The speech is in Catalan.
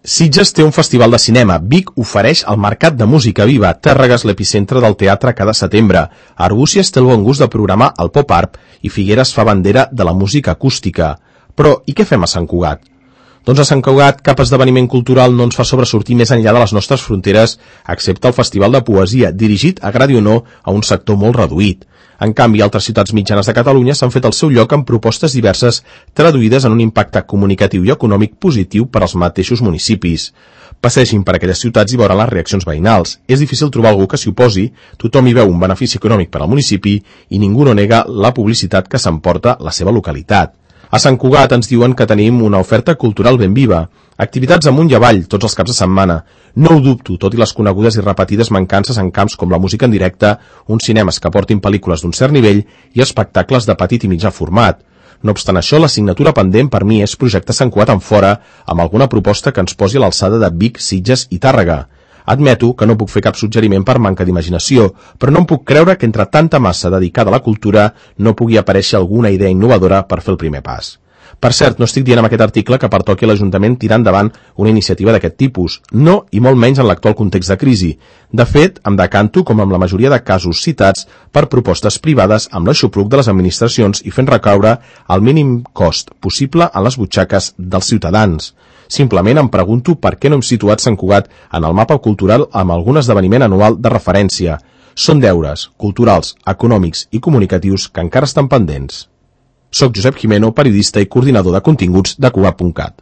Sitges té un festival de cinema, Vic ofereix el Mercat de Música Viva, Tàrrega és l'epicentre del teatre cada setembre, Arbúcies té el bon gust de programar el Pop Art i Figueres fa bandera de la música acústica. Però, i què fem a Sant Cugat? Doncs a Sant Cugat cap esdeveniment cultural no ens fa sobresortir més enllà de les nostres fronteres, excepte el Festival de Poesia, dirigit, agradi o no, a un sector molt reduït. En canvi, altres ciutats mitjanes de Catalunya s'han fet el seu lloc amb propostes diverses traduïdes en un impacte comunicatiu i econòmic positiu per als mateixos municipis. Passegin per aquelles ciutats i veuran les reaccions veïnals. És difícil trobar algú que s'hi oposi, tothom hi veu un benefici econòmic per al municipi i ningú no nega la publicitat que s'emporta la seva localitat. A Sant Cugat ens diuen que tenim una oferta cultural ben viva. Activitats amunt i avall, tots els caps de setmana. No ho dubto, tot i les conegudes i repetides mancances en camps com la música en directe, uns cinemes que portin pel·lícules d'un cert nivell i espectacles de petit i mitjà format. No obstant això, l'assignatura pendent per mi és projectar Sant Cugat en fora amb alguna proposta que ens posi a l'alçada de Vic, Sitges i Tàrrega. Admeto que no puc fer cap suggeriment per manca d'imaginació, però no em puc creure que entre tanta massa dedicada a la cultura no pugui aparèixer alguna idea innovadora per fer el primer pas. Per cert, no estic dient amb aquest article que pertoqui a l'Ajuntament tirar endavant una iniciativa d'aquest tipus. No, i molt menys en l'actual context de crisi. De fet, em decanto, com amb la majoria de casos citats, per propostes privades amb l'aixopluc de les administracions i fent recaure el mínim cost possible en les butxaques dels ciutadans. Simplement em pregunto per què no hem situat Sant Cugat en el mapa cultural amb algun esdeveniment anual de referència. Són deures culturals, econòmics i comunicatius que encara estan pendents. Soc Josep Jimeno, periodista i coordinador de continguts de Cugat.cat.